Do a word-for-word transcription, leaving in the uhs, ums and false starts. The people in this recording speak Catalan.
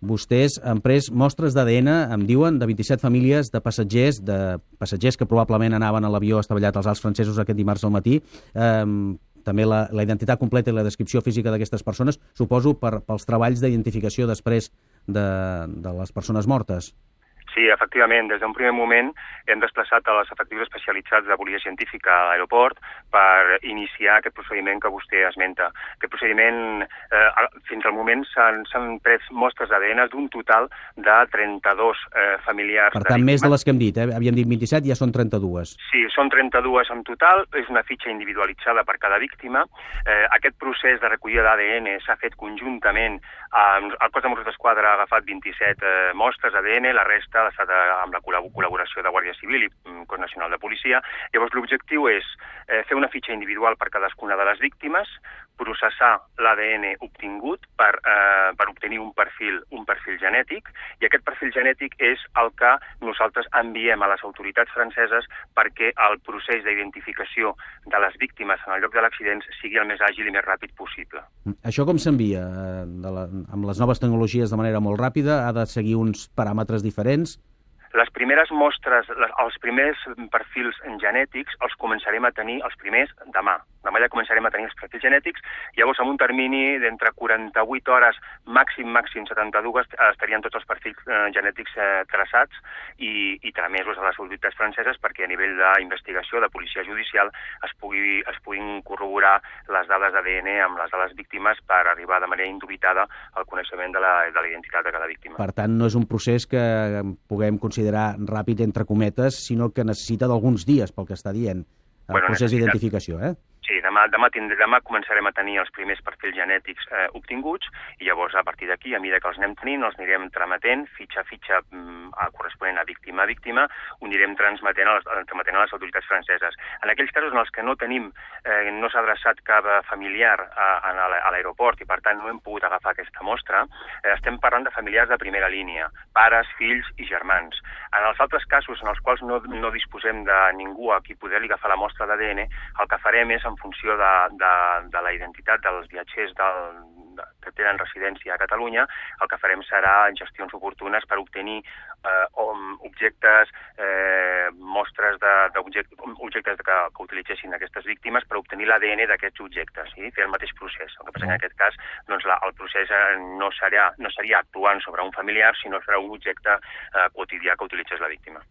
vostès han pres mostres d'A D N, em diuen, de vint-i-set famílies de passatgers, de passatgers que probablement anaven a l'avió estavellat als Alps francesos aquest dimarts al matí. Eh, també la, la identitat completa i la descripció física d'aquestes persones, suposo per, pels treballs d'identificació després de, de les persones mortes. Sí, efectivament. Des d'un primer moment hem desplaçat a les efectius especialitzats de policia científica a l'aeroport per iniciar aquest procediment que vostè esmenta. Aquest procediment, eh, fins al moment, s'han pres mostres d'A D N d'un total de trenta-dos eh, familiars. Per tant, més de les que hem dit, eh? Havíem dit vint-i-set, ja són trenta-dues. Sí, són trenta-dues en total, és una fitxa individualitzada per cada víctima. Eh, aquest procés de recollida d'A D N s'ha fet conjuntament. Eh, el cos de Mossos d'Esquadra ha agafat vint-i-set eh, mostres d'A D N, la resta ha estat amb la col·laboració de Guàrdia Civil i Cos Nacional de Policia. Llavors, l'objectiu és eh, fer una fitxa individual per cadascuna de les víctimes, processar l'A D N obtingut per, eh, per obtenir un perfil, un perfil genètic, i aquest perfil genètic és el que nosaltres enviem a les autoritats franceses perquè el procés d'identificació de les víctimes en el lloc de l'accident sigui el més àgil i més ràpid possible. Això com s'envia? Amb les noves tecnologies de manera molt ràpida? Ha de seguir uns paràmetres diferents? Les primeres mostres, les, els primers perfils genètics els començarem a tenir els primers demà. Demà ja començarem a tenir els perfils genètics, llavors en un termini d'entre quaranta-vuit hores, màxim, màxim setanta-dues, estarien tots els perfils eh, genètics eh, traçats i, i tramesos a les autoritats franceses perquè a nivell d'investigació, de policia judicial, es, pugui, es puguin corroborar les dades d'A D N amb les de les víctimes per arribar de manera indubitada al coneixement de la, de la identitat de cada víctima. Per tant, no és un procés que puguem considerar ràpid, entre cometes, sinó que necessita d'alguns dies, pel que està dient, el bueno, procés d'identificació, eh? Sí, demà, demà, tindré, demà començarem a tenir els primers perfils genètics eh, obtinguts i llavors a partir d'aquí, a mesura que els anem tenint, els anirem trametent fitxa a fitxa mm, corresponent a víctima a víctima, ho anirem transmetent a les, transmetent a les autoritats franceses. En aquells casos en els que no tenim, eh, no s'ha adreçat cap familiar a, a l'aeroport i per tant no hem pogut agafar aquesta mostra, eh, estem parlant de familiars de primera línia, pares, fills i germans. En els altres casos en els quals no, no disposem de ningú a qui poder-li agafar la mostra d'A D N, el que farem és, en funció de, de, de la identitat dels viatgers del, de, que tenen residència a Catalunya, el que farem serà gestions oportunes per obtenir eh, objectes, eh, mostres d'objectes objectes que, que utilitzessin aquestes víctimes per obtenir l'A D N d'aquests objectes, sí? Fer el mateix procés. El que passa que en aquest cas doncs, la, el procés no, serà, no seria actuant sobre un familiar, sinó serà un objecte eh, quotidià que utilitzés la víctima.